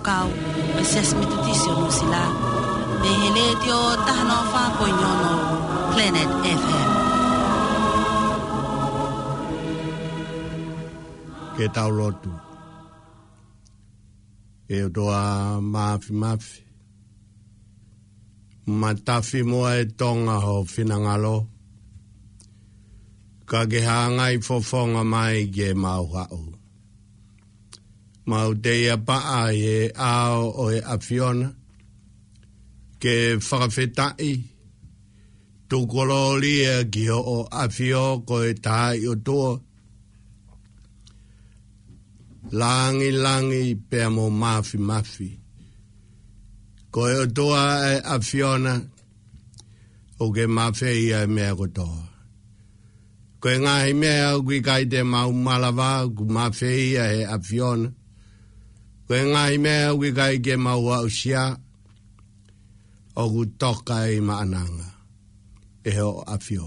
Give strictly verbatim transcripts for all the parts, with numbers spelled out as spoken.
Kau, ʻo e Siasi Metotisi ʻo Nuʻusila, mei he Letiō taha noa fā poini ono Planet F M. Ke tau lotu. ʻE ʻOtua Māfimafi, matafi muʻa ʻe Tonga ho finangalo, ka ke hangai fofonga mai ke mau haʻu. Mau teiapaʻa ʻi he ʻao ʻo e ʻAfiona, ke fakafetaʻi, tuku kolōlia ki hoʻo ʻAfio ko e Taaʻi ʻOtua, langilangi pea mo Māfimafi. Ko e ʻOtua ʻa e ʻAfiona, ʻoku ke mafeia e meʻa kotoa. Ko e ngaahi meʻa ʻoku ʻikai te mau malava, ʻoku mafeia ʻe he ʻAfiona. Ko e ngaahi meʻa ʻoku ʻikai ke mau aʻusia, ʻoku toka ʻi maʻananga ʻe hoʻo ʻAfio.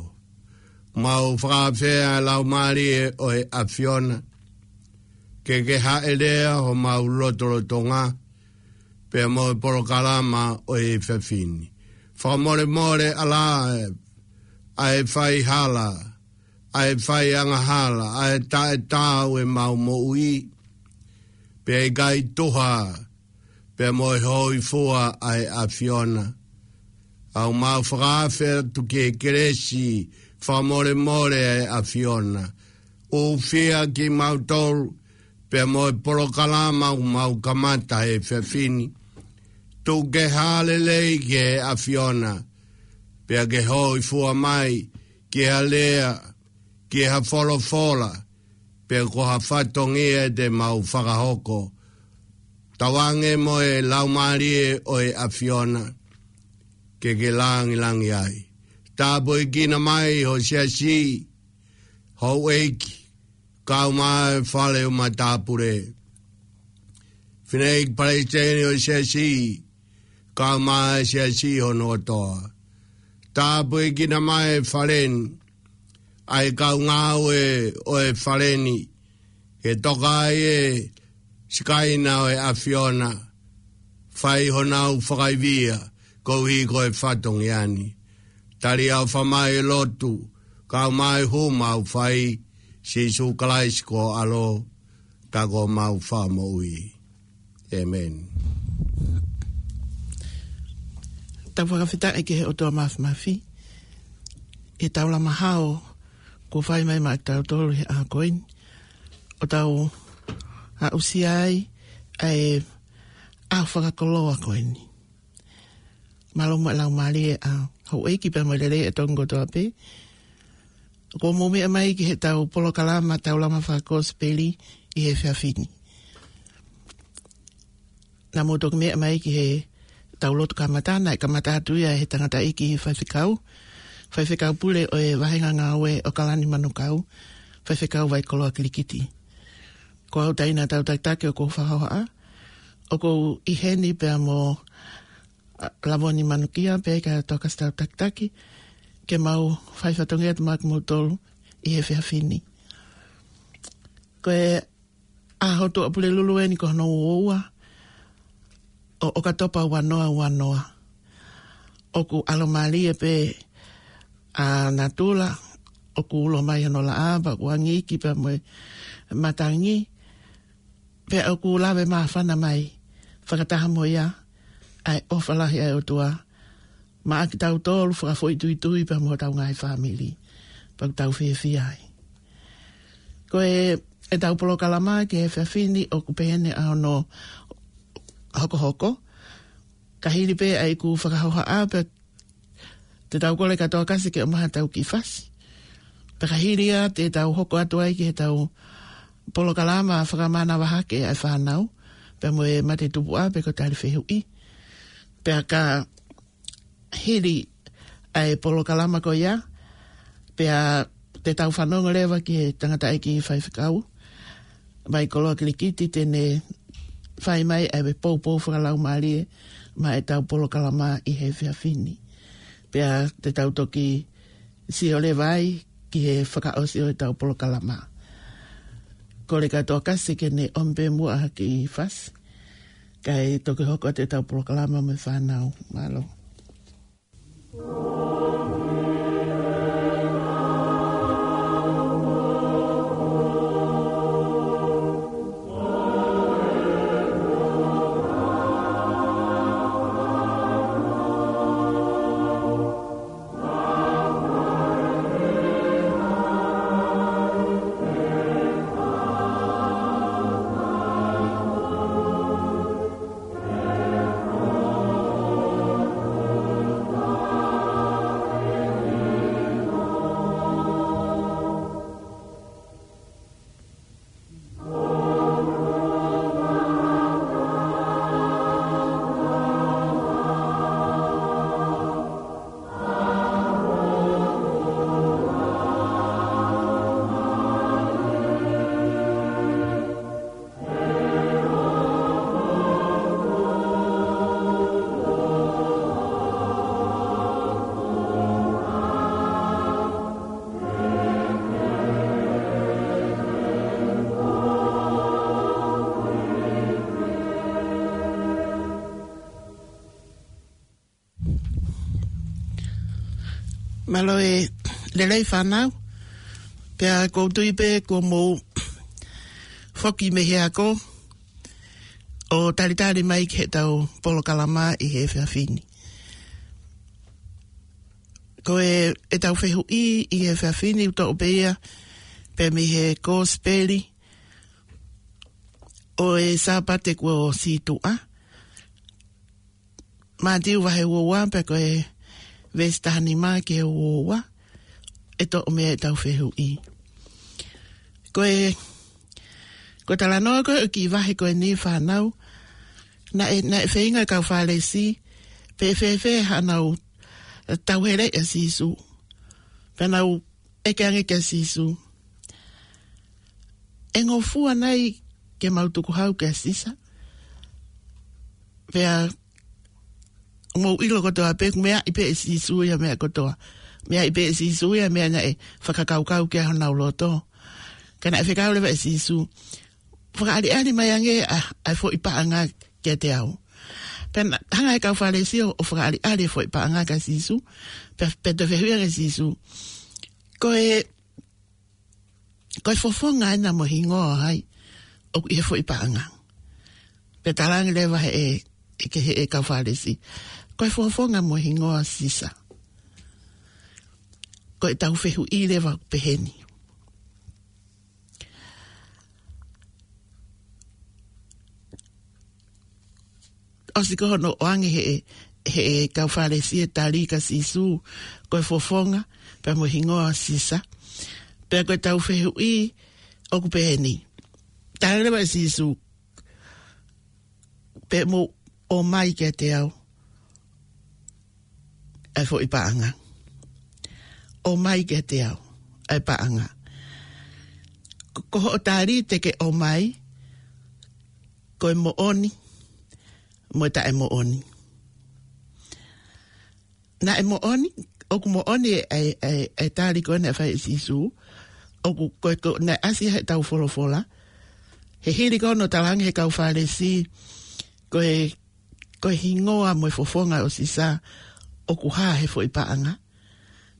Mau fakaafeʻi e Laumālie ʻo e ʻAfiona, ke ke hāʻele ʻi homau lotolotonga, pea mo e polokalama ʻo e efiafi ni. Fakamolemole ʻa e, ʻa e faihala, ʻa e faiangahala, ʻa e taʻetaau ʻemau moʻui, pea ʻikai tuha, pea mo e hōifua ʻa e ʻAfiona. ʻOku mau fakaafe atu ki he kelesi fakamolemole ʻa e ʻAfiona. ʻUfia kimautolu, pea mo e polokalama ʻoku mau kamata he efiafi ni. Tuku ke hāʻele lelei ki he ʻAfiona, pea ke hōifua mai ki ha lea, ki ha folofola, pe ko ha fatongia te mau fakahoko. Tauange mo e Laumālie ʻo e ʻAfiona, ke ke langilangi ai. Tāpuekina mai ho siasi, houʻeiki, kau mai fale ʻo matāpule. Fineʻeiki palesiteni ʻo e siasi, kau mai siasi hono kotoa. Tāpuekina mai e fale ni, ʻa e kau ngāue ʻo e fale ni, ke toka ai e sikaina ʻo e ʻAfiona, fai honau fakaivia, koeʻuhi ko e fatongia ni. Tali ʻa e ʻofa mai e lotu, kau mai hū mau fai, Sīsū Kalaisi ko ho ʻAlo, ka ko homau Fakamoʻui. ʻĒmeni. Tau fakafetaʻi ki he ʻOtua Māfimafi, ʻi he taulama hao kuo fai mai maʻa kitautolu he ʻaho ko eni, ʻo tau aʻusia ai ʻa e ʻaho fakakoloa ko eni. Mālō muʻa e laumālie ʻa houʻeiki pea mo e lelei ʻa e Tonga kotoa pē. Kuo mou meʻa mai ki heʻetau polokalama taulama fakakosipeli ʻi he efiafi ni. Naʻa mou toki meʻa mai ki heʻetau lotu kamata, naʻe kamata atu ia ʻe he tangataʻeiki faifekau, faifekau pule ʻo e vāhenga ngāue ʻo ʻOkalani Manukau, faifekau Vaikoloa Kilikiti. Ko au Taina Tautakitaki ʻoku ou fakahohaʻa, ʻoku ou ʻi heni pea mo ʻa, Lavoni Manukia, pea ʻikai Tokasi Tautakitaki, ke mau fai fatongia atu maʻa kimoutolu ʻi he efiafi ni. Ko e ʻaho Tuʻapulelulu eni ko hono uaua ʻo ʻOkatopa ua noa ua noa. ʻOku ʻalomālie pē ʻa natula, ʻoku ulo mai hono laʻā, pea ʻoku angi iki pea mo e matangi, pea ʻoku lave māfana mai, fakataha mo ia, ʻa e ʻofa lahi ʻa e ʻOtua maʻa kitautolu fakafoʻituitui pea mo hotau ngaahi fāmili, pea ʻoku tau fiefia ai. Ko e, ʻetau polokalama ki he efiafi ni ʻoku pehē ni ʻa hono hokohoko, ka hili pē ʻa ʻeku fakahohaʻa pea te tau kole kia Tokasi ke ʻomai haʻatau kiʻi fasi. Pea ka hili ia te tau hoko atu ai ki heʻetau polokalama fakamanavahake ʻa e fānau, pea mo e matetupuʻa pe ko e tali fehuʻi. Pea ka hili ʻa e polokalama ko ia, pea te tau fanongo leva ki he tangataʻeiki faifekau Vaikoloa Kilikiti te ne fai mai ʻa e poupou fakalaumālie maʻa ʻetau polokalama ʻi he efiafi ni. Pea te tau toki sio leva ai ki he fakaʻosi ʻo ʻetau polokalama. Kole kia Tokasi ke ne ʻomi pē muʻa ha kiʻi fasi. kae toki hoko atu ʻetau polokalama mo e fānau. Mālō. Mālō e lelei fānau, pea ʻoku ou tui pē kuo mou foki mei he ako ʻo talitali mai ki heʻetau polokalama ʻi he efiafi ni. Ko e, ʻetau fehuʻi ʻi he efiafi ni ʻoku toʻo pē ia pē mei he Kosipeli ʻo e Sāpate kuo sītuʻa, Mātiu vahe uaua pea ko e veesi taha nima ki he uaua, ʻe toʻo mei ai ʻetau fehuʻi. Ko e, ko e talanoa ko ē ʻo e kiʻi vahe ko eni fānau, naʻe, naʻe feinga e kau Fālesi pe ʻe fēfē haʻanau tauheleʻi ʻa Sīsū. Pea nau ʻeke ange kia Sīsū, ʻe ngofua nai ke mau tukuhau kia Sisa? Pea mou ʻilo kotoa pē, meaʻi pē ʻe Sīsū ia meʻa kotoa. Meaʻi pē ʻe Sīsū ia meʻa naʻe fakakaukau ki ai honau loto. Ka naʻe fekau leva ʻe Sīsū, fakaʻaliʻali mai ange ʻa, ʻa e foʻi paʻanga kiate au. Pea naʻe hanga ʻe he kau Fālesi ʻo, ʻo fakaʻaliʻali e foʻi paʻanga kia Sīsū, pea, pea toe fehuʻi ange ʻe Sīsū, ko e, ko e fofonga ena mo e hingoa ʻo hai ʻoku ʻi he foʻi paʻanga? Pea talaange leva ʻe he, ʻe he, ʻe he kau Fālesi, ko e fofonga mo e hingoa ʻo Sisa. Ko ʻetau fehuʻi leva peheni. ʻOsi ko hono ʻoange ʻe he, ʻe he kau Fālesi e tali kia Sīsū, ko e fofonga pea mo e hingoa ʻo Sisa. Pea ko ʻetau fehuʻi ʻoku peheni. Tala leva ʻe Sīsū, pea mou ʻomai kiate au ʻa e foʻi paʻanga. ʻOmai kiate au ʻa e paʻanga. Ko, ko hoʻo tali te ke ʻomai, ko e moʻoni mo e taʻemoʻoni. Naʻe moʻoni, ʻoku moʻoni e, e, e, e tali ko ē naʻe fai ʻe Sīsū, ʻoku ko e, ko e, naʻe ʻasi heʻetau folofola. He hili ko hono talaange ʻe he kau Fālesi, ko e, ko e hingoa mo e fofonga ʻo Sisa ʻoku hā he foʻi paʻanga.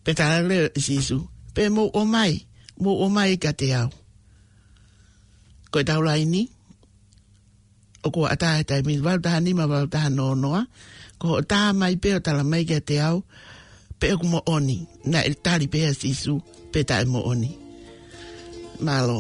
Pea tala leva ʻe Sīsū, pea mou ʻomai, mou ʻomai kiate au. Ko ʻetau laini, ʻoku ʻatā he taimi ni, valu taha nima, valu taha noa noa. Ko hoʻo tā mai pē ʻo tala mai kiate au pe ʻoku moʻoni, naʻe tali pē ʻe Sīsū pe taʻemoʻoni. Mālō.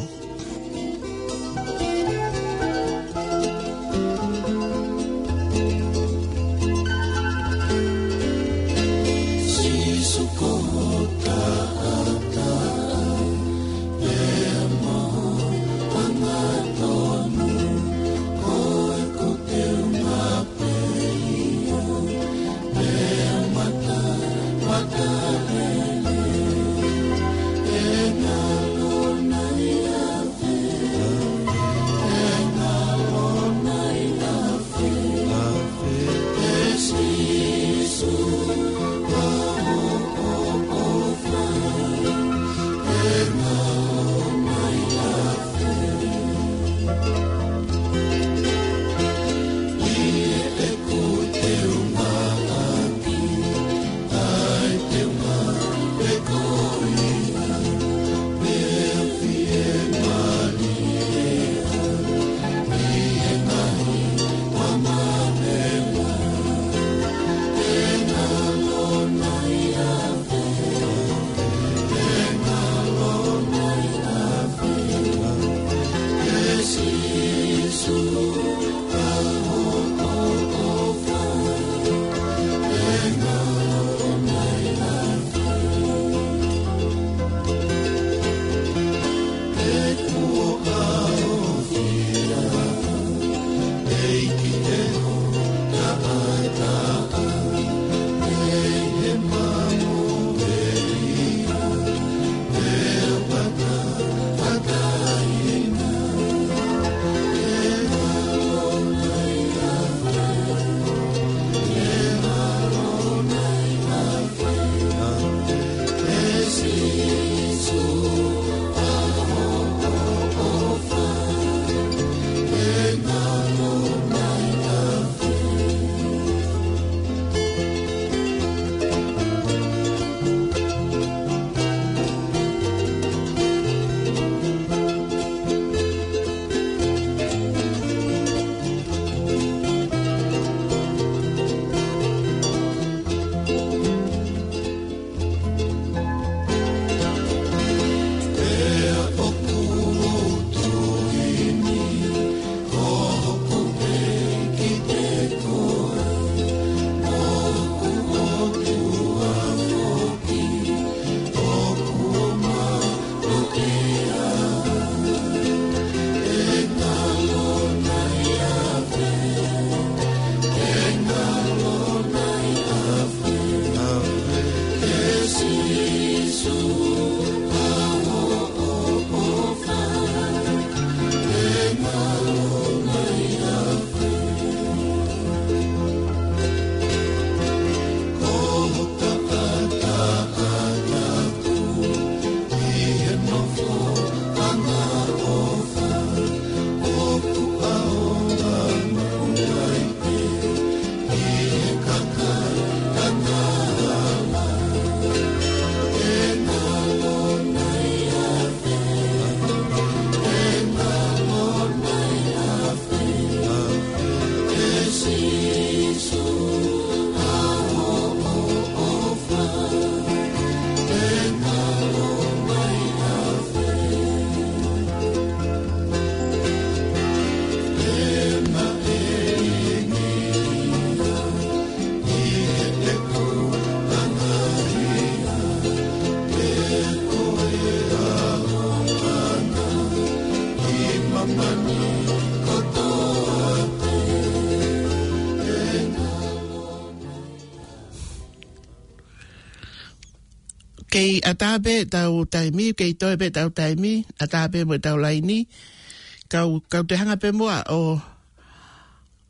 Kei ʻatā pē ʻetau taimi, kei toe pē ʻetau taimi, ʻatā pē mo ʻetau laini. Kau, kau toe hanga pē muʻa ʻo,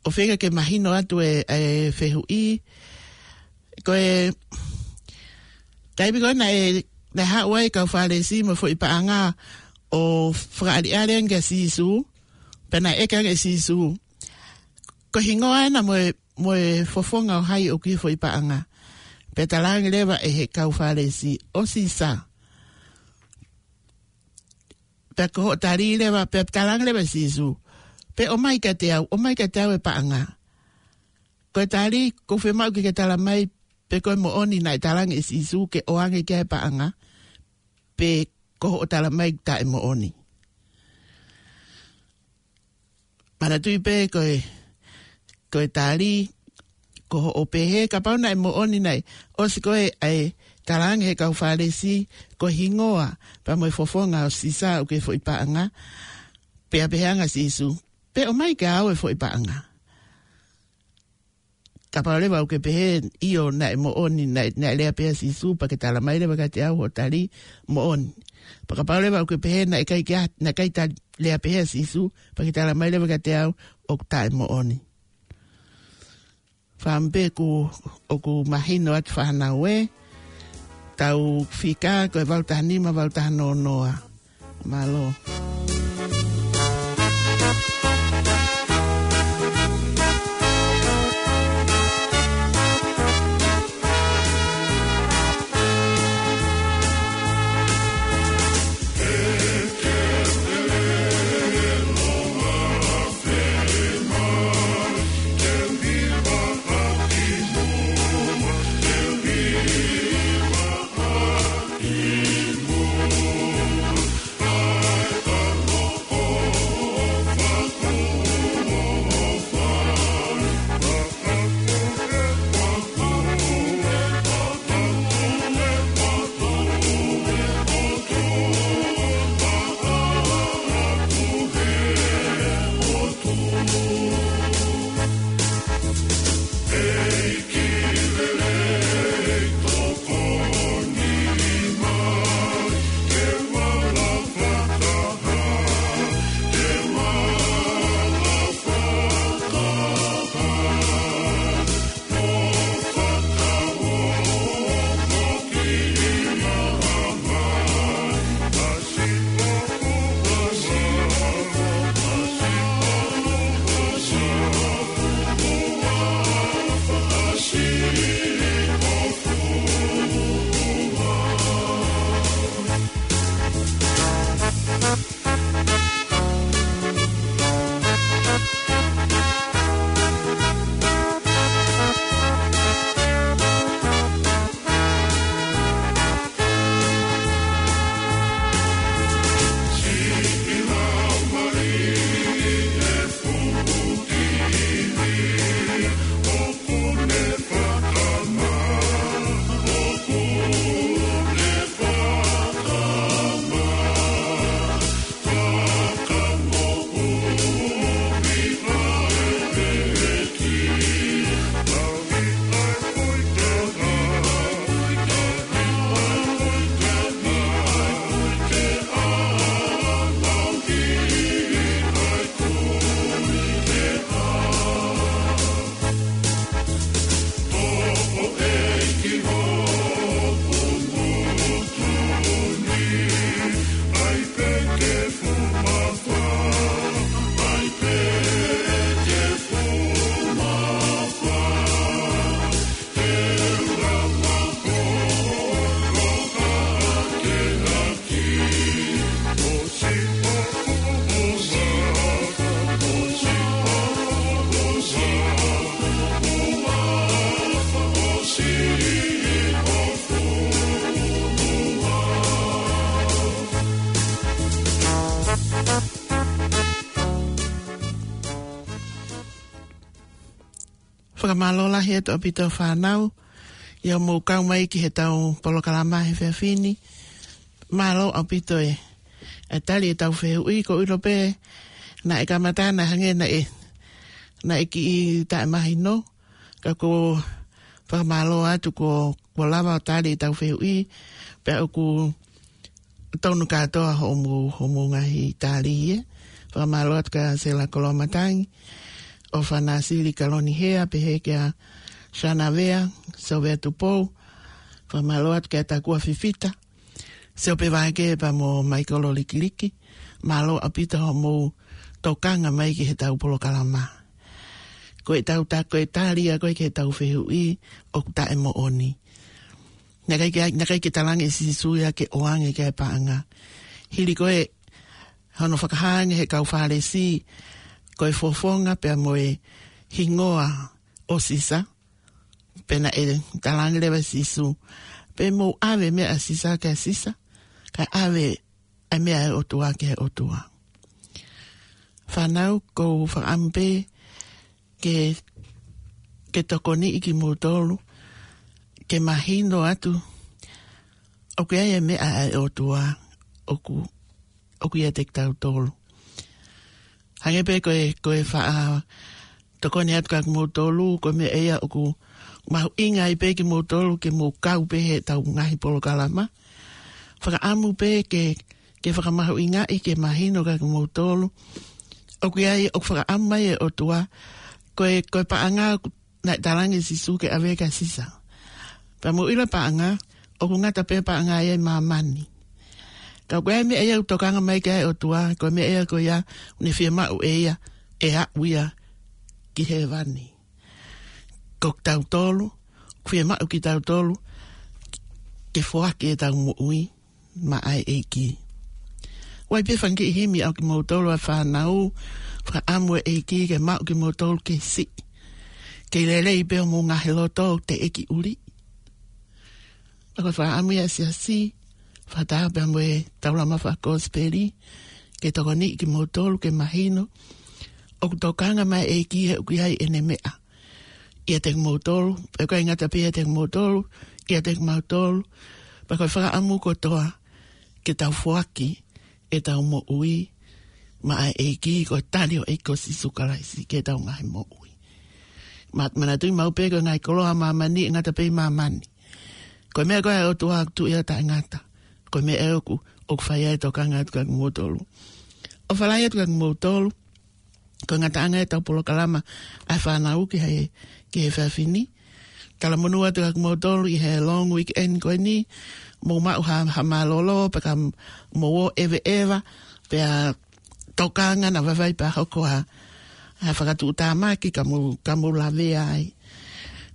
ʻo feinga ke mahino atu e, e fehuʻi. Ko e taimi ko ē naʻe, naʻe haʻu ai e kau Fālesi mo e foʻi paʻanga ʻo fakaʻaliʻali ange kia Sīsū, pea naʻe ʻeke ange ʻe Sīsū ko e hingoa ena mo e, mo e fofonga ʻo hai ʻoku ʻi he foʻi paʻanga. Pea talaange leva ʻe he kau Fālesi, ʻo Sisa. Pea ko hoʻo tali leva, pea talaange leva ʻe Sīsū, pe ʻomai kiate au, ʻomai kiate au e paʻanga. Ko e tali, ʻoku fiemaʻu ke ke tala mai pe ko e moʻoni naʻe talaange ʻe Sīsū ke ʻoange ki ai e paʻanga, pe ko hoʻo tala mai taʻemoʻoni. Manatuʻi pē ko e, ko e tali, ko hoʻo pehē, kapau naʻe moʻoni naʻe ʻosi ko ē ʻa e talaange ʻe he kau Fālesi ko e hingoa pea mo e fofonga ʻo Sisa ʻoku ʻi he foʻi paʻanga, pea pehē ange ʻa Sīsū, pe ʻomai kiate au e foʻi paʻanga. Kapau leva ʻoku ke pehē, ʻio, naʻe moʻoni, naʻe, naʻe lea pehē ʻa Sīsū, pea ke tala mai leva kiate au hoʻo tali, moʻoni. Pea kapau leva ʻoku ke pehē, naʻe ʻikai ke ʻa-, naʻe ʻikai tali, lea pehē ʻa Sīsū, pea ke tala mai leva kiate au ʻoku taʻemoʻoni. Fakaʻamu pē ʻoku, ʻoku mahino atu fānau ē, tau fika ko e valu taha nima, valu taha noa noa. Mālō. Mālō lahi atu ʻaupito fānau, ʻi hoʻomou kau mai ki heʻetau polokalama he efiafi ni. Mālō ʻaupito e, e tali ʻetau fehuʻi, ko ʻilo pē, naʻe kamata naʻe hangē naʻe, naʻe kiʻi taʻemahino, ka ʻoku ou fakamālō atu kuo, kuo lava ʻo tali ʻetau fehuʻi, pea ʻoku tonu kātoa hoʻomou, hoʻomou ngaahi tali ē. Fakamālō atu kia Sela Koloamatangi, ʻOfana Sili Kaloni Hea, pehē kia Shana Vea, Sovea Tupou. Fakamālō atu kia Takua Fifita, Siope Vake pea mo Maikolo Likiliki. Mālō ʻaupito hoʻomou tokanga mai ki heʻetau polokalama. Ko ʻetau ta-, ko e tali ia ko ē ki heʻetau fehuʻi ʻoku taʻemoʻoni. Naʻe ʻikai ke, naʻe ʻikai ke talaange ʻe Sīsū ia ke ʻoange ki ai e paʻanga. Hili ko ē hono fakahā ange ʻe he kau Fālesi ko e fofonga pea mo e hingoa ʻo Sisa, pea naʻe talaange leva ʻe Sīsū, pe mou ʻave e meʻa ʻa Sisa kia Sisa, kae ʻave e meʻa ʻa e ʻOtua ki he ʻOtua. Fānau, ʻoku ou fakaʻamu pē ke, ke tokoniʻi kimoutolu ke mahino atu ʻoku ʻi ai e meʻa ʻa e ʻOtua ʻoku, ʻoku ʻiate kitautolu. Hangē pē ko e, ko e faʻa tokoni atu kia kimoutolu, ko e meʻa ia ʻoku mahuʻinga ai pē kimoutolu ke mou kau pē heʻetau ngaahi polokalama. Fakaʻamu pē ke, ke fakamahuʻingaʻi ke mahino kia kimoutolu ʻoku ʻi ai, ʻoku fakaʻamu mai e ʻOtua, ko e, ko e paʻanga ʻoku naʻe talaange ʻe Sīsū ke ʻave kia Sisa. Pea mou ʻilo e paʻanga, ʻoku ngata pē paʻanga ia ʻi māmani. Ka ko e meʻa ia ʻoku tokanga mai ki ai e ʻOtua, ko e meʻa ia ko ia ʻoku ne fiemaʻu ʻe ia ʻe aʻu ia ki hēvani. Ko kitautolu, ʻoku fiemaʻu kitautolu ke foaki ʻetau moʻui maʻa e ʻEiki. ʻOku ʻi ai pē fanga kiʻi himi ʻa kimoutolu ʻa e fānau, fakaʻamu e ʻEiki ke maʻu kimoutolu ke siʻi, ke lelei pē homou ngaahi loto ʻoku teʻeki ʻuli. Pea ko e fakaʻamu ia ʻa e siasi, fakataha pea mo e taulama fakakosipeli, ke tokoniʻi kimoutolu ke mahino ʻoku tokanga mai e ʻEiki he ʻoku ʻi ai ʻene meʻa ʻiate kimoutolu, pea ʻoku ʻikai ngata pē ʻiate kimoutolu, ʻiate kimautolu, pea ko e fakaʻamu kotoa ke tau foaki ʻetau moʻui maʻa e ʻEiki, ko e tali ʻo e ʻEiki ko Sīsū Kalaisi ki heʻetau ngaahi moʻui. Ma-, manatuʻi maʻu pē ko e ngaahi koloa ʻa māmani, ʻe ngata pē ʻi māmani. Ko e meʻa ko ē ʻa e ʻOtua ʻoku tuʻu ia ʻo taʻengata. Ko e meʻa ʻoku, ʻoku fai ai e tokanga atu kia kimoutolu. ʻOfa lahi atu kia kimoutolu, ko e ngataʻanga ʻetau polokalama ʻa e fānau ki he, ki he efiafi ni. Talamonū atu kia kimoutolu ʻi he long weekend ko eni, mou maʻu ha, ha mālōlō, pea ka mou ō ʻeveʻeva, pea tokanga naʻa vaivai pea hoko ha, ha fakatuʻutāmaki ka mou, ka mou lavea ai.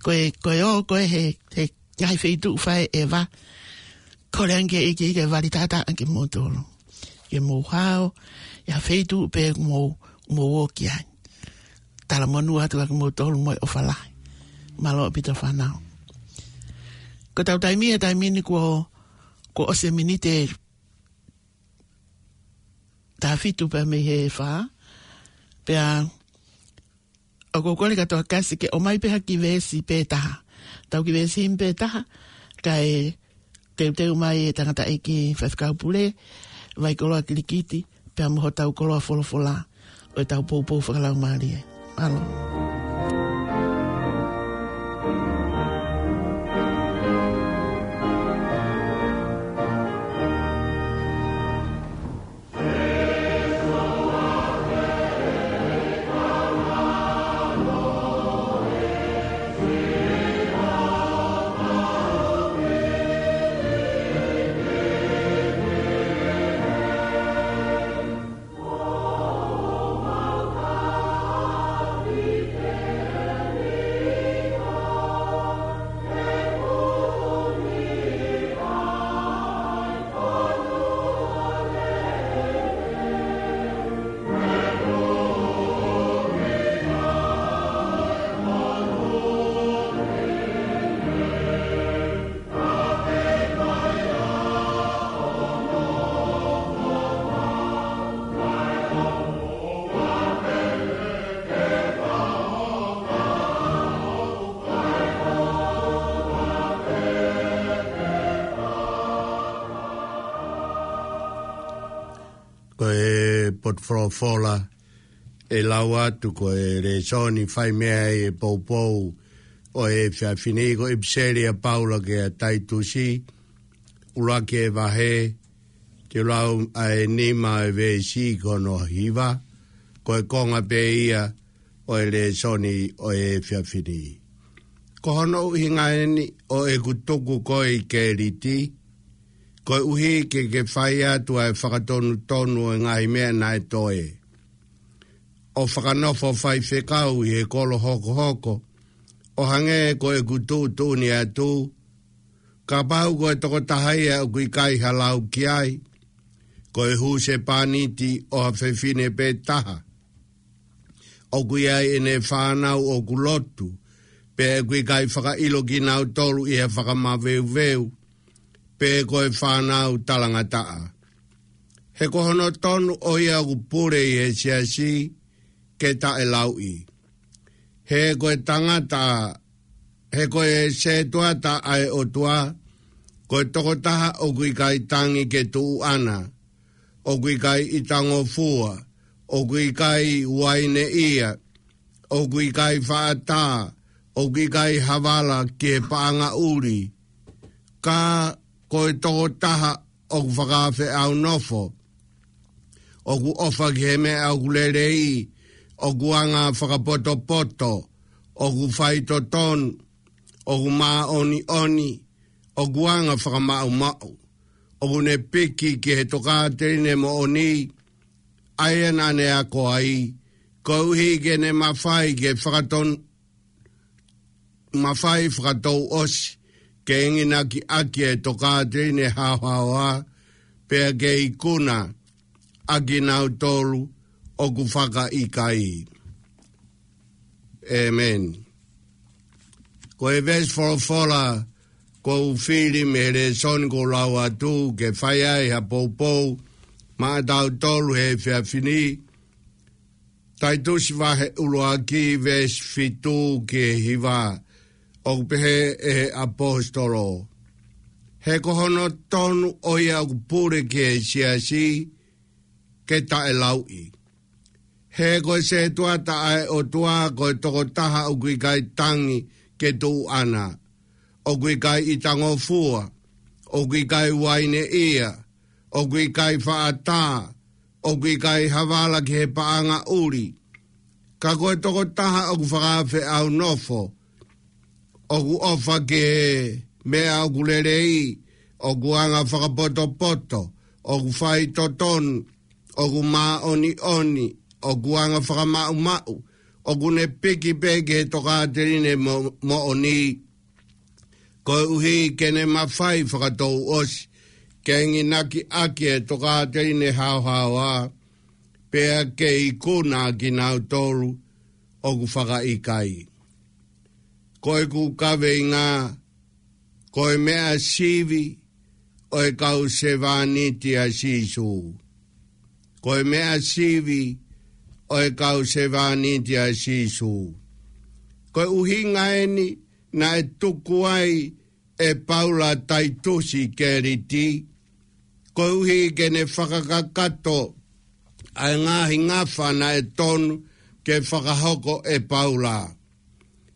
Ko e, ko e ō ko ē he, he ngaahi feituʻu fai ʻeva, kole ange ki he ʻEiki ke vali tata ange kimoutolu. Ke mou hao ʻi ha feituʻu pē mou, mou ō ki ai. Talamonū atu kia kimoutolu mo e ʻofa lahi. Mālō ʻaupito fānau. Ko ʻetau taimi he taimi ni kuo, kuo ʻosi e miniti ʻe taha fitu pē mei he fā. Pea ʻoku ou kole kātoa ke siʻi ʻomai pē ha kiʻi veesi pē taha. Tau kiʻi veesi himi pē taha, kae teuteu mai e tangataʻeiki faifekau pule, Vaikoloa Kilikiti, pea mo hotau koloa folofola ʻo ʻetau poupou fakalaumālie. Mālō. Ko e potu folofola ʻe lau atu ko e lēsoni fai mei ai e poupou ʻo e efiafi ni ko e ʻipiseli ʻa Paula kia Taitusi, ʻuluaki vahe, te u lau ʻa e nima ʻo e veesi ki hono hiva, ko e konga pē ia ʻo e lēsoni ʻo e efiafi ni. Ko hono ʻuhinga eni ʻo ʻeku tuku koe ʻi Keliti, koeʻuhi ke ke fai atu ʻa e fakatonutonu ʻo e ngaahi meʻa naʻe toe, ʻo fakanofo faifekau ʻi he kolo hokohoko, ʻo hangē ko ʻeku tuʻutuʻuni atu, kapau ko e tokotaha ia ʻoku ʻikai ha lau ki ai, ko e husepāniti ʻo ha fefine pē taha, ʻoku ʻi ai ʻene fānau ʻoku lotu, pea ʻoku ʻikai fakaʻilo kinautolu ʻi ha fakamaveuveu, pe ko e fānau talangataʻa. He ko hono tonu ʻo ia ʻoku pule ʻi he siasi ke taʻelauʻi. He ko e tangata, he ko e setuata ʻa e ʻOtua, ko e tokotaha ʻoku ʻikai tangi ke tuʻu ʻana, ʻoku ʻikai ʻitangofua, ʻoku ʻikai uaineʻia, ʻoku ʻikai faʻa tā, ʻoku ʻikai havala ki he paʻanga ʻuli, ka ko e tokotaha ʻoku fakaafeʻaunofo, ʻoku ʻofa ki he meʻa ʻoku lelei, ʻoku anga fakapotopoto, ʻoku faitotonu, ʻoku māʻoniʻoni, ʻoku anga fakamaʻumaʻu, ʻoku ne piki ki he tokāteline moʻoni, ʻa ia naʻa ne ako ai, koeʻuhi ke ne mafai ke fakaton-, mafai fakatouʻosi, ke enginaki ʻaki e tokāteline haohaoa, pea ke ikuna ʻa kinautolu ʻoku fakaʻikaiʻi. ʻĒmeni. Ko e veesi folofola ʻoku fili mei he lēsoni ʻoku lau atu ke fai ai ha poupou maʻatautolu he efiafi ni, Taitusi vahe ʻuluaki veesi fitu ki he hiva, ʻoku pehē ʻe he ʻaposetolo: He ko hono tonu ʻo ia ʻoku pule ki he siasi ke taʻelauʻi. He ko e setuata ʻa e ʻOtua ko e tokotaha ʻoku ʻikai tangi ke tuʻu ʻana, ʻoku ʻikai ʻitangofua, ʻoku ʻikai uaineʻia, ʻoku ʻikai faʻa tā, ʻoku ʻikai havala ki he paʻanga ʻuli, ka ko e tokotaha ʻoku fakaafeʻaunofo, ʻoku ʻofa ki he meʻa ʻoku lelei, ʻoku anga fakapotopoto, ʻoku faitotonu, ʻoku māʻoniʻoni, ʻoku anga fakamaʻumaʻu, ʻoku ne piki pē ki he tokāteline mo-, moʻoni, koeʻuhi ke ne mafai fakatouʻosi ke enginaki ʻaki e tokāteline haohaoa, pea ke ikuna ʻa kinautolu ʻoku fakaʻikaiʻi. Ko ʻeku kaveinga, ko e meʻa sivi ʻo e kau sevāniti ʻa Sīsū. Ko e meʻa sivi ʻo e kau sevāniti ʻa Sīsū. Ko e ʻuhinga eni naʻe tuku ai ʻe Paula Taitusi Keliti, koeʻuhi ke ne fakakakato ʻa e ngaahi ngafa naʻe tonu ke fakahoko ʻe Paula,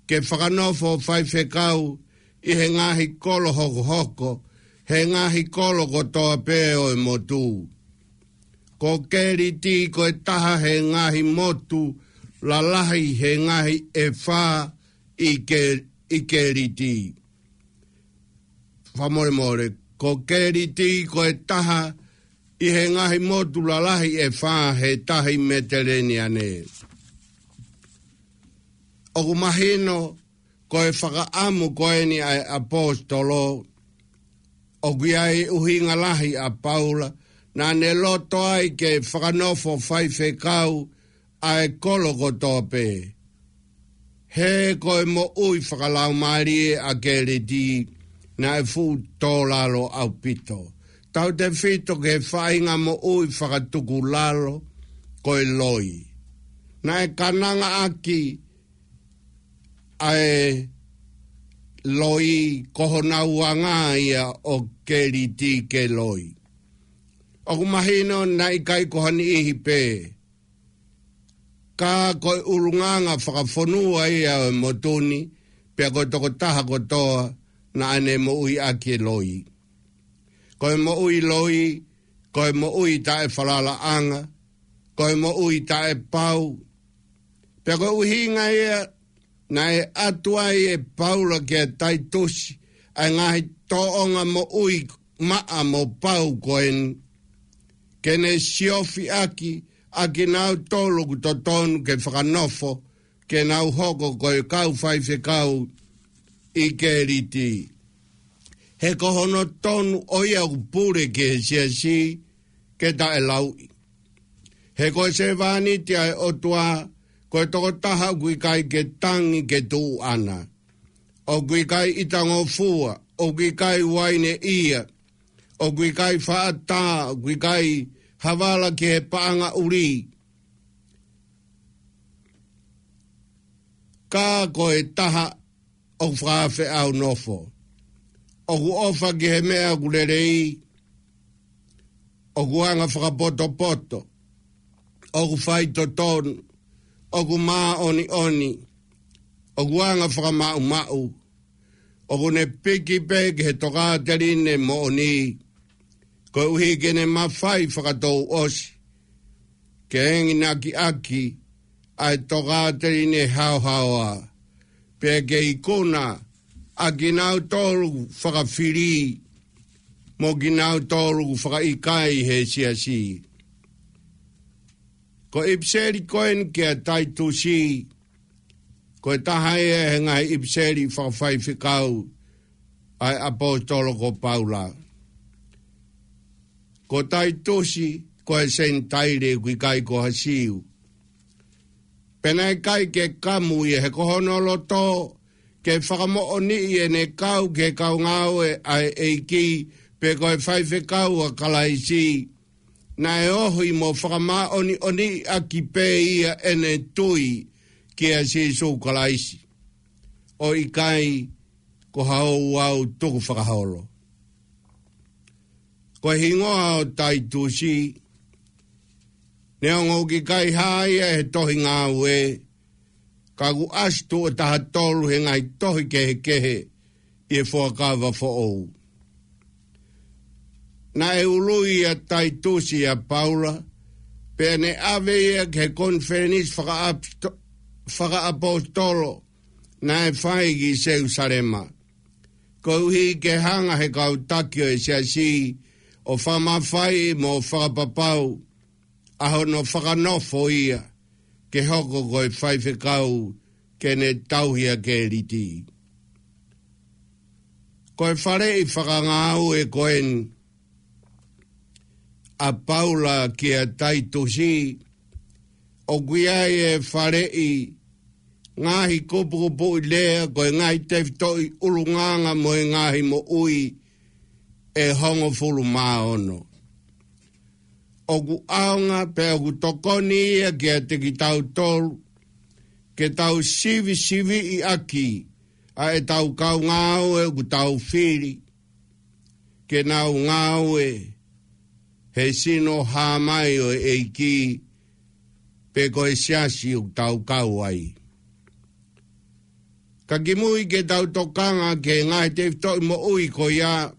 ke fakanofo faifekau ʻi he ngaahi kolo hokohoko, he ngaahi kolo kotoa pē ʻo e motu. Ko Keliti ko e taha he ngaahi motu lalahi he ngaahi ʻe fā ʻi Ke-, ʻi Keliti. Fakamolemole, ko Keliti ko e taha ʻi he ngaahi motu lalahi ʻe fā he tahi Meteleniane. ʻOku mahino ko e fakaʻamu ko eni ʻa e ʻaposetolo, ʻoku ʻi ai e ʻuhinga lahi ʻa Paula, naʻa ne loto ai ke fakanofo faifekau ʻa e kolo kotoa pē. He ko e moʻui fakalaumālie ʻa Keliti naʻe fuʻu tōlalo ʻaupito. Tautefito ki he faʻahinga moʻui fakatukulalo ko e loi. Naʻe kananga ʻaki ʻa e loi, ko honau anga ia ʻo Keliti ke loi. ʻOku mahino naʻe ʻikai ko ha niʻihi pē, ka ko e ʻulungaanga fakafonua ia ʻo e motu ni, pea ko e tokotaha kotoa naʻa ne moʻui ʻaki e loi. Ko e moʻui loi, ko e moʻui taʻefalalaʻanga, ko e moʻui taʻepau. Pea ko e ʻuhinga ia naʻe ʻatu ai ʻe Paula kia Taitusi ʻa e ngaahi tōʻonga moʻui maʻa mo pau ko eni, ke ne siofi ʻaki ʻa kinautolu ʻoku totonu ke fakanofo, ke nau hoko ko e kau faifekau ʻi Keliti. He ko hono tonu ʻo ia ʻoku pule ki he siasi ke taʻelauʻi. He ko e sevāniti ʻa e ʻOtua, ko e tokotaha ʻoku ʻikai ke tangi ke tuʻu ʻana. ʻOku ʻikai ʻitangofua, ʻoku ʻikai uaineʻia, ʻoku ʻikai faʻa tā, ʻoku ʻikai havala ki he paʻanga ʻuli. Ka ko e taha ʻoku fakafeʻao nofo. ʻOku ʻofa ki he meʻa ʻoku lelei, ʻoku anga fakapotopoto, ʻoku faitotonu, ʻoku māʻoniʻoni, ʻoku anga fakamaʻumaʻu, ʻoku ne piki pē ki he tokāteline moʻoni, koeʻuhi ke ne mafai fakatouʻosi ke enginaki ʻaki ʻa e tokāteline haohaoa, pea ke ikuna ʻa kinautolu fakafili mo kinautolu fakaʻikai he siasi. Ko e ʻipiseli ko eni kia Taitusi, ko e taha ia he ngaahi ʻipiseli fakafaifekau ʻa e ʻaposetolo ko Paula. Ko Taitusi, ko e Senitaile, ʻoku ʻikai ko ha Siu. Pea naʻe ʻikai ke kamu ia he ko hono loto ke fakamoʻoniʻi ʻene kau ki he kau ngāue ʻa e ʻEiki, pe ko e faifekau ʻa Kalaisi, naʻe ohi mo fakamāʻoniʻoniʻi ʻaki pē ia ʻene tui kia Sīsū Kalaisi, ʻo ʻikai ko ha ouau tukufakaholo. Ko e hingoa ʻo Taitusi, neongo ʻoku ʻikai hā ia he tohi Ngāue, ka ʻoku ʻasi tuʻo taha tolu he ngaahi tohi kehekehe ʻi he Fuakava Foʻou. Naʻe ului ʻa Taitusi ʻia Paula, pea ne ʻave ia ki he konifelenisi fakaʻaposto-, fakaʻaposetolo naʻe fai ki Selusalema, koeʻuhi ke hanga he kau taki ʻo e siasi ʻo fakamafaiʻi mo fakapapau ʻa hono fakanofo ia ke hoko ko e faifekau ke ne tauhi ʻa Keliti. Ko e faleʻi fakangāue ko eni ʻa Paula kia Taitusi, ʻoku ʻi ai e faleʻi ngaahi kupukupuʻi lea, ko e ngaahi tefitoʻi ʻulungaanga mo e ngaahi moʻui ʻe hongofulu mā ono. ʻOku ʻaonga pea ʻoku tokoni ia kiate kitautolu, ke tau sivisiviʻi ʻaki ʻa ʻetau kau ngāue ʻoku tau fili ke nau ngāue he sino hā mai ʻo e ʻEiki, pe ko e siasi ʻoku tau kau ai. Ka kimui ke tau tokanga ki he ngaahi tefitoʻi moʻui ko ia,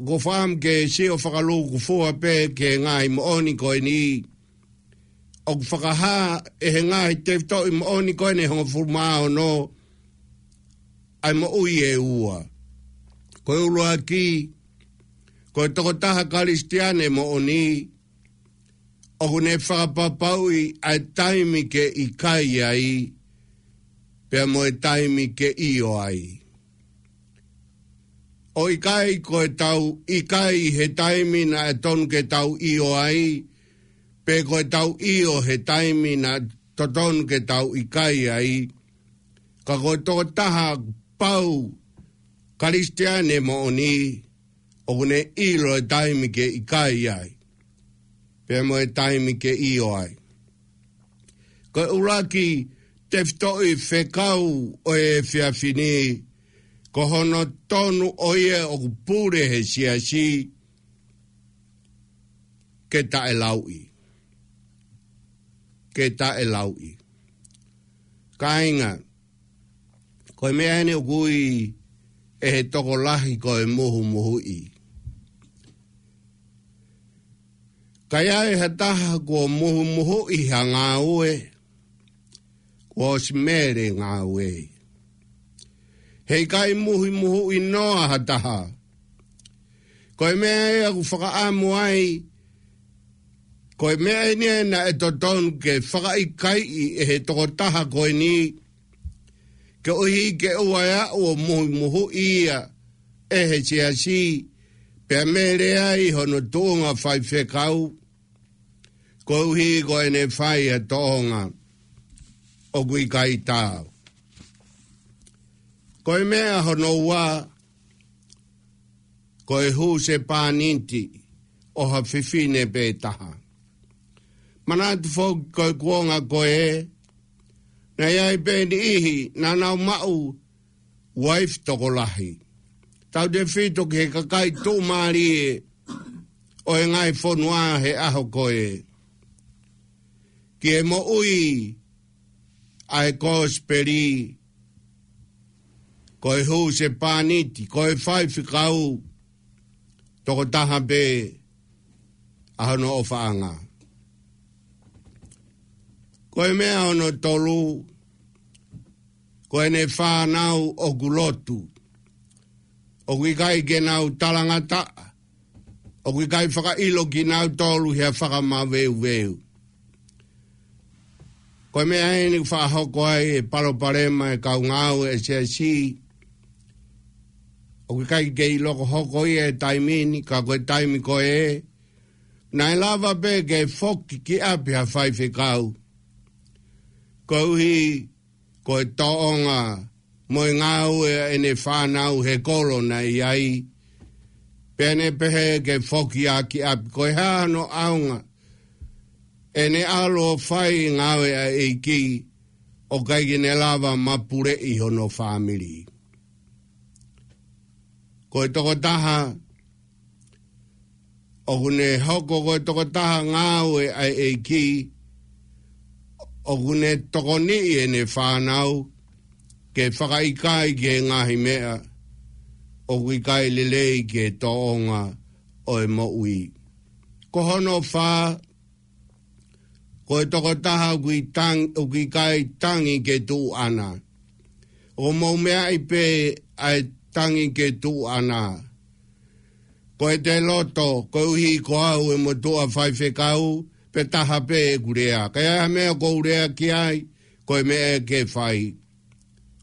ʻoku ou fakaʻamu ke sio fakalūkufua pē ki he ngaahi moʻoni ko eni. ʻOku fakahā ʻe he ngaahi tefitoʻi moʻoni ko eni ʻe hongofulu mā ono ʻa e moʻui ʻe ua. Ko e ʻuluaki, ko e tokotaha Kalisitiane moʻoni, ʻoku ne fakapapauʻi ʻa e taimi ke ʻikai ai, pea mo e taimi ke ʻio ai. ʻO ʻikai ko e tau ʻikai he taimi naʻe tonu ke tau ʻio ai, pe ko e tau ʻio he taimi naʻe totonu ke tau ʻikai ai. Ka ko e tokotaha pau Kalisitiane moʻoni, ʻoku ne ʻilo e taimi ke ʻikai ai, pea mo e taimi ke ʻio ai. Ko e ʻuluaki tefitoʻi fekau ʻo e efiafi ni, ko hono tonu ʻo ia ʻoku pule he siasi, ke taʻelauʻi. Ke taʻelauʻi. Kāinga, ko e meʻa eni ʻoku ui ʻe he tokolahi ko e muhumuhuʻi. Ka ʻi ai ha taha kuo muhumuhuʻi ha ngāue, kuo ʻosi mele ngāue. Heʻikai muhumuhuʻi noa ha taha. Ko e meʻa ia ʻoku fakaʻamu ai, ko e meʻa eni naʻe totonu ke fakaʻikaiʻi ʻe he tokotaha ko eni, koeʻuhi ke ʻoua ʻe aʻu ʻo muhumuhuʻi ia ʻe he siasi, pea mele ai hono tuʻunga faifekau, koeʻuhi ko ʻene fai ʻa e tōʻonga ʻoku ʻikai taau. Ko e meʻa hono ua, ko e husepāniti ʻo ha fefine pē taha. Manatu foki ko e kuonga ko ē, naʻe ʻi ai pē niʻihi naʻa nau maʻu uaifi tokolahi. Tautefito ki he kakai tuʻumālie ʻo e ngaahi fonua he ʻaho ko ē. Ki he moʻui ʻa e kosipeli, ko e husepāniti, ko e faifekau, tokotaha pē ʻa hono ʻofaʻanga. Ko e meʻa hono tolu, ko ʻene fānau ʻoku lotu, ʻoku ʻikai ke nau talangataʻa, ʻoku ʻikai fakaʻilo kinautolu he fakamaveuveu. Ko e meʻa eni ʻoku fakahoko ai e palopalema e kau ngāue e siasi. ʻOku ʻikai ke ʻilo ko e hoko ia e taimi ni, ka ko e taimi ko ē, naʻe lava pē ke foki ki ʻapi ha faifekau. Koeʻuhi ko e tōʻonga mo e ngāue ʻene fānau he kolo naʻe ʻi ai. Pea ne pehē ke foki ā ki ʻapi, ko e hā hono ʻaonga ʻene ʻalu ʻo fai ngāue ʻa e ʻEiki, ʻo ʻikai ke ne lava mapuleʻi hono fāmili. Ko e tokotaha ʻoku ne hoko ko e tokotaha ngāue ʻa e ʻEiki, ʻoku ne tokoniʻi ʻene fānau ke fakaʻikaiʻi ki he ngaahi meʻa ʻoku ʻikai lelei ki he tōʻonga ʻo e moʻui. Ko hono fā, ko e tokotaha ʻoku ʻi tang-, ʻoku ʻikai tangi ke tuʻu ʻana. ʻOku mou meaʻi pē ʻa e tangi ke tuʻu ʻana. Ko ʻete loto, koeʻuhi ko au e motuʻa faifekau, pea taha pē ʻeku lea. Ka ʻi ai ha meʻa ʻoku ou lea ki ai, ko e meʻa ke fai.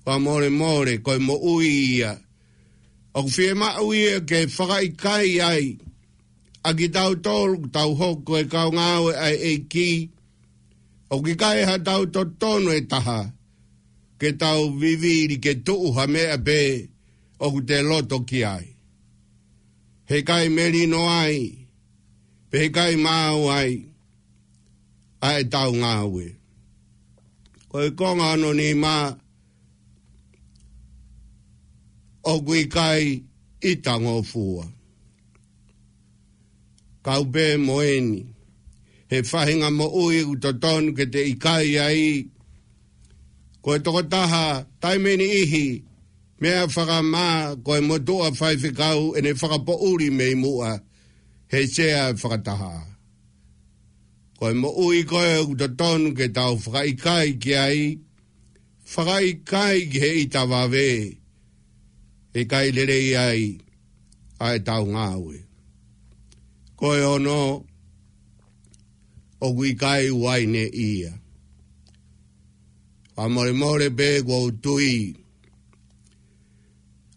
Fakamolemole, ko e moʻui ia. ʻOku fiemaʻu ia ke fakaʻikaiʻi ai ʻa kitautolu ʻoku tau hoko ko e kau ngāue ʻa e ʻEiki, ʻoku ʻikai haʻatau totonu ʻe taha ke tau vivili ke tuʻu ha meʻa pē ʻoku te loto ki ai. Heʻikai melino ai, pe heʻikai maau ai ʻa ʻetau ngāue. Ko e konga hono nima, ʻoku ʻikai ʻitangofua. Kau pē mo eni, he faʻahinga moʻui ʻoku totonu ke te ʻikai ai. Ko e tokotaha, taimi ʻe niʻihi, meʻa fakamā, ko e motuʻa faifekau, ʻene fakapoʻuli mei muʻa he sea fakataha. Ko e moʻui ko ē ʻoku totonu ke tau fakaʻikaiʻi ki ai, fakaʻikaiʻi ki he ʻita vave, heʻikai lelei ai ʻa ʻetau ngāue. Ko e ono, ʻoku ʻikai uaine ia. Fakamolemole pē kuo u tui,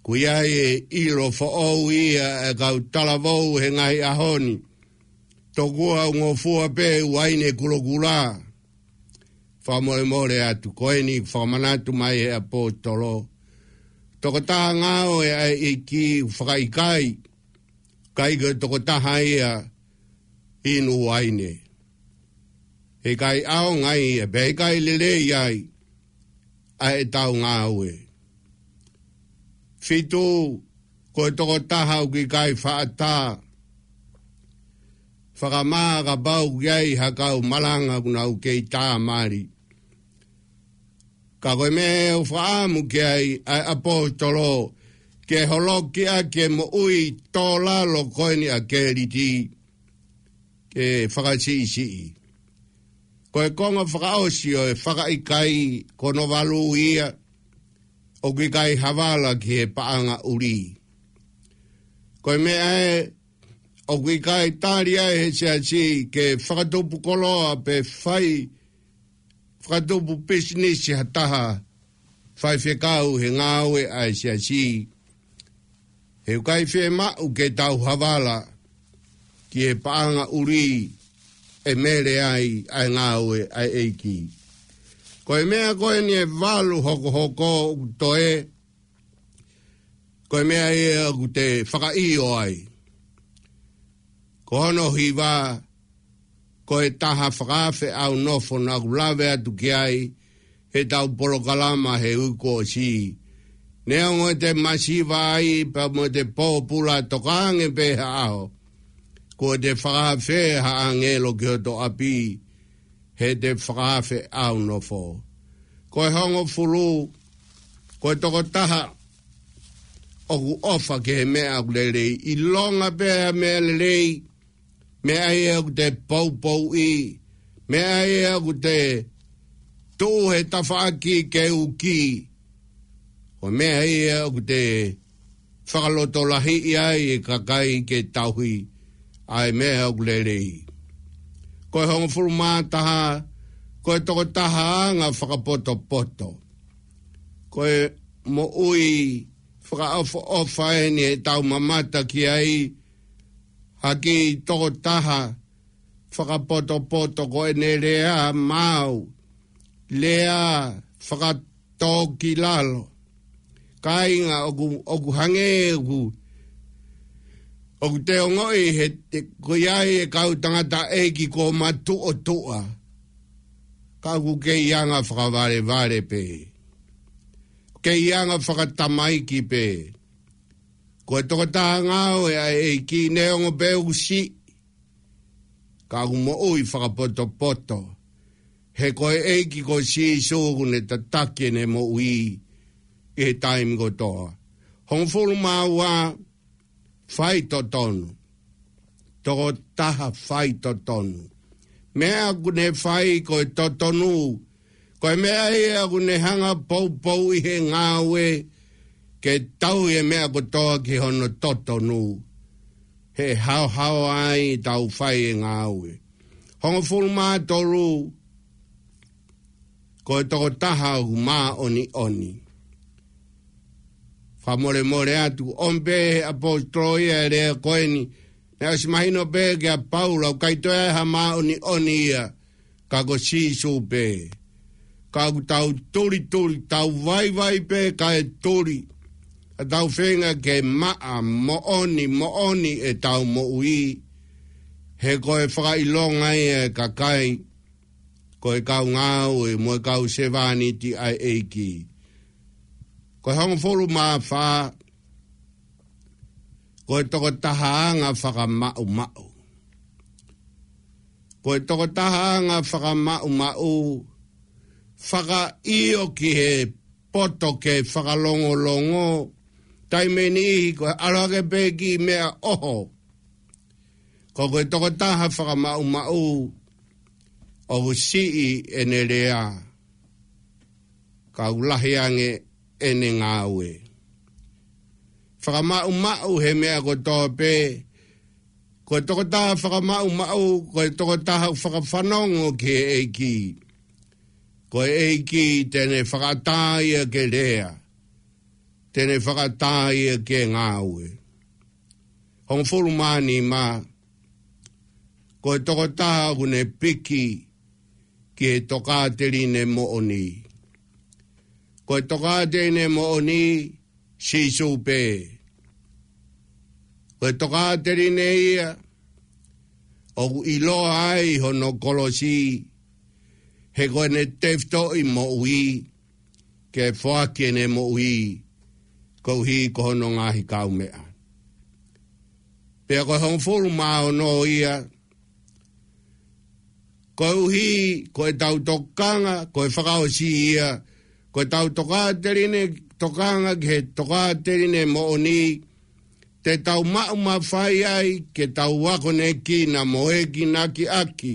ʻoku ʻi ai e ʻilo foʻou ia ʻa e kau talavou he ngaahi ʻaho ni. Tokua ʻoku ngofua pē uaine kulokula. Fakamolemole atu, ko eni fakamanatu mai he ʻaposetolo. Tokotaha ngāue ʻa e ʻEiki, fakaʻikaiʻi, ʻikai ko e tokotaha ia inu uaine. Heʻikai ʻaonga ia, pea heʻikai lelei ai ʻa ʻetau ngāue. Fitu, ko e tokotaha ʻoku ʻikai faʻa tā. fakamā kapau ʻoku ʻi ai ha kau malanga ʻoku nau kei tā mali. Ka ko e meʻa ʻoku fakaʻamu ki ai ʻa e ʻaposetolo ke holoki ʻa e moʻui tō lalo ko eni ʻa Keliti ke fakasiʻisiʻi. Ko e konga fakaʻosi ʻo e fakaʻikaiʻi ko hono valu ia, ʻoku ʻikai ha vala ki he paʻanga ʻuli. Ko e meʻa ē ʻoku ʻikai tali ai he siasi ke fakatupu koloa pe fai fakatupu pisinisi ha taha faifekau he ngāue ʻa e siasi. He ʻoku ʻikai fiemaʻu ke tau ha vala ki he paʻanga ʻuli ʻe mele ai ʻa e ngāue ʻa e ʻEiki. Ko e meʻa ko eni ʻe valu hokohoko ʻoku toe, ko e meʻa ia ʻoku te fakaʻio ai. Ko hono hiva, ko e taha fakaafe ʻaunofo naʻa ku lave atu ki ai he tau polokalama he uike kuo ʻosi. Neongo ʻete masiva ai pea mo ʻete pōpula, tokange pē ha ʻaho kuo te fakaafe ha ʻāngelo ki hoto ʻapi he te fakaafe ʻaunofo. Ko e hongofulu, ko e tokotaha ʻoku ʻofa ki he meʻa ʻoku lelei. ʻIlonga pē ʻa e meʻa lelei, meʻa ia ʻoku te poupouʻi, meʻa ia ʻoku te tuʻu he tafaʻaki ke uki, ko e meʻa ia ʻoku te fakalotolahiʻi ai e kakai ke tauhi ʻa e meʻa ʻoku lelei. Ko e hongofulu mā taha, ko e tokotaha anga fakapotopoto. Ko e moʻui fakaʻofoʻofa eni ʻe tau mamata ki ai, ha kiʻi tokotaha fakapotopoto ko ʻene lea maau, lea fakatōkilalo. Kāinga, ʻoku, ʻoku hangē ʻoku, ʻoku te ongoʻi he te, ko ia e kau tangataʻeiki kuo matuʻotuʻa, ka ʻoku kei anga fakavalevale pē, kei anga fakatamaiki pē. Ko e tokotaha ngāue ʻa e ʻEiki, neongo pē ʻoku siʻi, ka ʻoku moʻui fakapotopoto. He ko e ʻEiki ko Sīsū ʻoku ne tataki ʻene moʻui ʻi he taimi kotoa. Hongofulu mā ua, faitotonu. Tokotaha faitotonu. Meʻa ʻoku ne fai ko e totonu. Ko e meʻa ia ʻoku ne hanga poupouʻi he ngāue ke tauhi e meʻa kotoa ki hono totonu. He haohaoa ai tau fai e ngāue. Hongofulu mā tolu, ko e tokotaha ʻoku māʻoniʻoni. Fakamolemole atu, ʻomi pē he ʻaposetolo ia e lea ko eni, naʻe ʻosi mahino pē kia Paula ʻoku ʻikai toe ʻi ai ha māʻoniʻoni ia, ka ko Sīsū pē. Ka ʻoku tau tulituli, tau vaivai pē kae tuli, ka tau feinga ke maʻa moʻoni, moʻoni ʻetau moʻui. He ko e fakaʻilonga ia e kakai, ko e kau ngāue mo e kau sevāniti ʻa e ʻEiki. Ko e hongofulu mā fā, ko e tokotaha anga fakamaʻumaʻu. Ko e tokotaha anga fakamaʻumaʻu, fakaʻio ki he poto ke fakalongolongo, taimi ʻe niʻihi ko e ʻalu hake pē ki he meʻa ʻoho. Ka ko e tokotaha fakamaʻumaʻu, ʻoku siʻi ʻene lea, ka ʻoku lahi ange ʻene ngāue. Fakamaʻumaʻu he meʻa kotoa pē, ko e tokotaha fakamaʻumaʻu, ko e tokotaha fakafanongo ki he ʻEiki. Ko e ʻEiki te ne fakaʻatā ia ke lea, te ne fakaʻatā ia ke ngāue. Hongofulu mā nima, ko e tokotaha ʻoku ne piki ki he tokāteline moʻoni. Ko e tokāteline moʻoni, Sīsū pē. Ko e tokāteline ia, ʻoku ʻiloa ai hono kolosi, he ko ʻene tefitoʻi moʻui, ke foaki ʻene moʻui, koeʻuhi ko hono ngaahi kaumeʻa. Pea ko e hongofulu mā ono ia, Koeʻuhi ko ʻetau tokanga, ko e fakaʻosi ia, ko ʻetau tokāteline, tokanga ki he tokāteline moʻoni, te tau maʻu mafai ai ke tau akonekina mo ʻekiakiʻi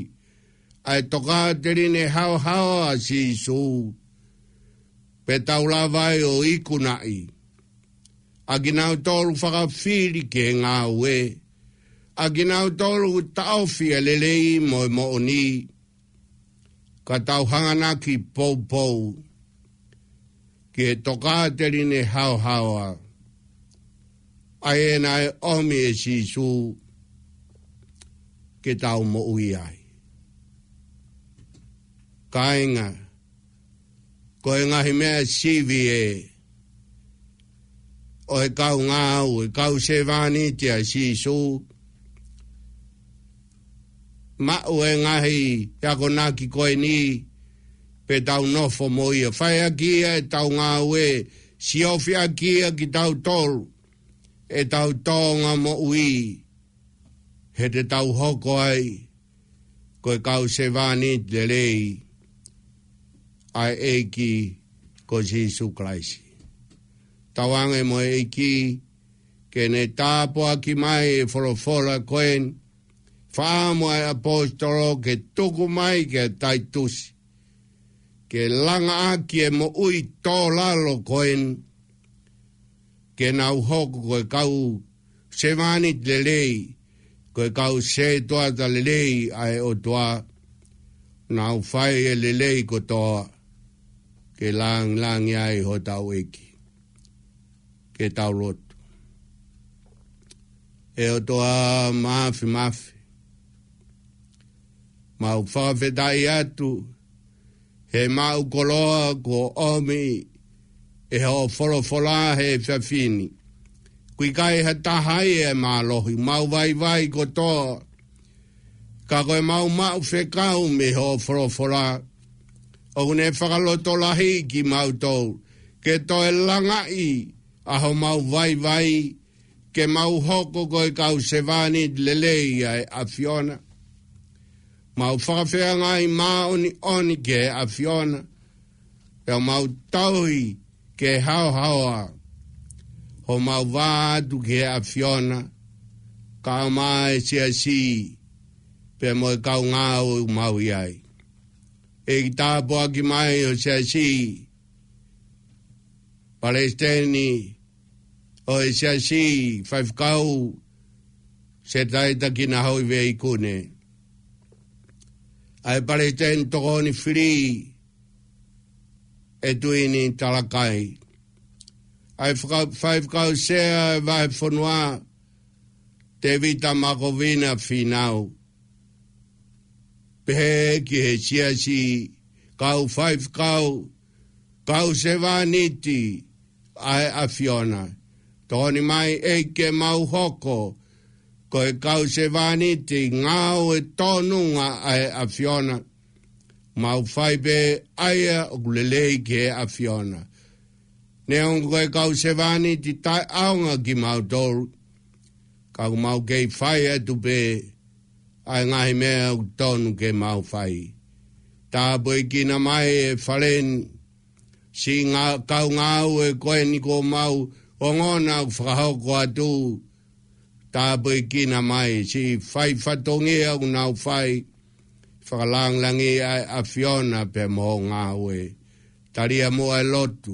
ʻa e tokāteline haohaoa ʻa Sīsū, pea tau lava ai ʻo ikunaʻi ʻa kinautolu fakafili ki he ngāue, ʻa kinautolu taʻofi ʻa e lelei mo e moʻoni, ka tau hanganaki poupou ki he tokāteline haohaoa, ʻa ia naʻe ʻomi ʻe Sīsū ke tau moʻui ai. Kāinga, ko e ngaahi meʻa sivi ē ʻo e kau ngāue, kau sevāniti ʻa Sīsū, maʻu e ngaahi akonaki ko eni, pea tau nofo mo ia, fai ʻaki ia ʻetau ngāue, siofi ʻaki ia kitautolu, ʻetau tōʻonga moʻui, he te tau hoko ai ko e kau sevāniti lelei ʻa e ʻEiki ko Sīsū Kalaisi. Tauange mo e ʻEiki ke ne tāpuaki mai e folofola ko eni, fakaʻamu ʻa e ʻaposetolo ke tuku mai kia Taitusi, ke langa ʻaki e moʻui tō lalo ko eni, ke nau hoko ko e kau sevāniti lelei, ko e kau sētuata lelei ʻa e ʻOtua, nau fai e lelei kotoa, ke langilangiʻia ai hotau ʻEiki. Ke tau lotu. ʻE ʻOtua Māfimafi, mau fakafetaʻi atu he maʻu koloa kuo ʻomi ʻe hoʻo folofola he efiafi ni. ʻOku ʻikai ha taha ia ʻe mālohi, mau vaivai kotoa, ka ko e mau maʻu fekau mei hoʻo folofola, ʻoku ne fakalotolahiʻi kimautolu ke toe langaʻi ʻa homau vaivai, ke mau hoko ko e kau sevāniti lelei ʻa e ʻAfiona. Mau fakafeangai māʻoniʻoni ki he ʻAfiona, pea mau tauhi ke haohaoa homau vā atu ki he ʻAfiona, kae ʻumaʻā e siasi, pea mo e kau ngāue ʻoku mau ʻi ai. ʻEiki, tāpuaki mai ho siasi, palesiteni ʻo e siasi, faifekau Setaita Kinahoive ʻIkune, ʻa e palesiteni tokoni fili ʻEtuini Talakai, ʻa e faka-, faifekau sea ʻo e vahefonua Tēvita Makovina Fīnau, pehē ki he siasi, kau faifekau, kau sevāniti ʻa e ʻAfiona. Tokoni mai ʻEiki ke mau hoko ko e kau sevāniti ngāue tōnunga ʻa e ʻAfiona, mau fai pē ʻa ia ʻoku lelei ki he ʻAfiona. Neongo ko e kau sevāniti taʻeʻaonga kimautolu, ka ʻoku mau kei fai atu pē ʻa e ngaahi meʻa ʻoku tonu ke mau fai. Tāpuekina mai e fale ni, siʻi ngā-, kau ngāue ko eni kuo mau ongona ʻoku fakahoko atu. Tāpuekina mai siʻi fai fatongia ʻoku nau fai, fakalangilangiʻi ʻa e ʻAfiona pea mo hoʻo ngāue. Talia muʻa e lotu,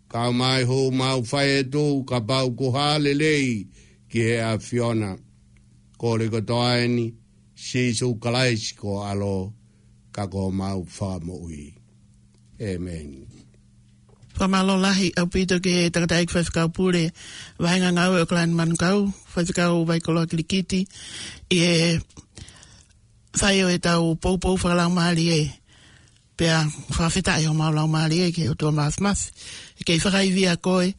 kae ʻumaʻā e hū mau fai atu, kapau kuo hā lelei ki he ʻAfiona. Kole kotoa eni, Sīsū Kalaisi ko ho ʻAlo, ka ko homau Fakamoʻui. ʻĒmeni. Fakamālō lahi ʻaupito ki he tangataʻeiki faifekau pule, vahenga ngāue ʻo Kalani Manukau, faifekau Vaikoloa Kilikiti, ʻi he fai ʻo ʻetau poupou fakalaumālie. Pea fakafetaʻi homau laumālie ki he ʻOtua Māfimafi, ʻe kei fakaivia koe,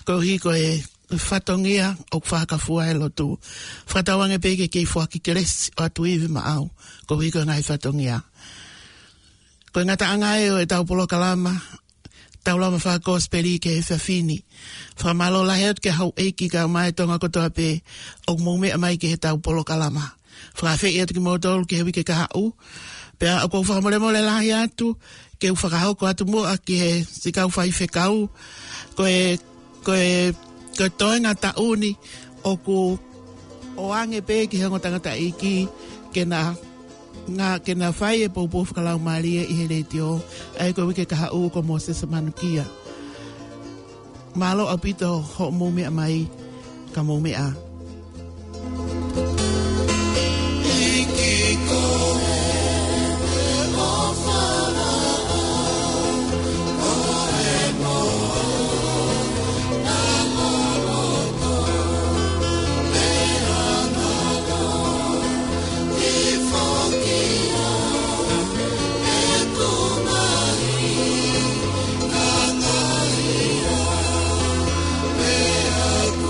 koeʻuhi ko e fatongia ʻoku fakafua he lotu. Fakatauange pē ke kei foaki kelesi ʻo ʻatu ivi maʻau, koeʻuhi ko e ngaahi fatongia. Ko e ngataʻanga ē ʻo ʻetau polokalama, tau lava fakakosipeli ki he efiafi ni. Fakamālō lahi atu ki he houʻeiki kae ʻumaʻā e Tonga kotoa pē ʻoku mou meʻa mai ki heʻetau polokalama. Fakaafeʻi atu kimoutolu ki he uike kahaʻu, Pea ʻoku ou fakamolemole lahi atu, ke u fakahoko atu muʻa ki he siʻi kau faifekau, ko e, ko e, ko e toenga taʻu ni, ʻoku ʻoange pē ki he ongo tangataʻeiki, ke na, nga, ke na fai e poupou fakalaumālie ʻi he letiō, ʻa ia ko e uike kahaʻu ko Mōsese Manukia. Mālō ʻaupito hoʻomou meʻa mai, ka mou meʻa.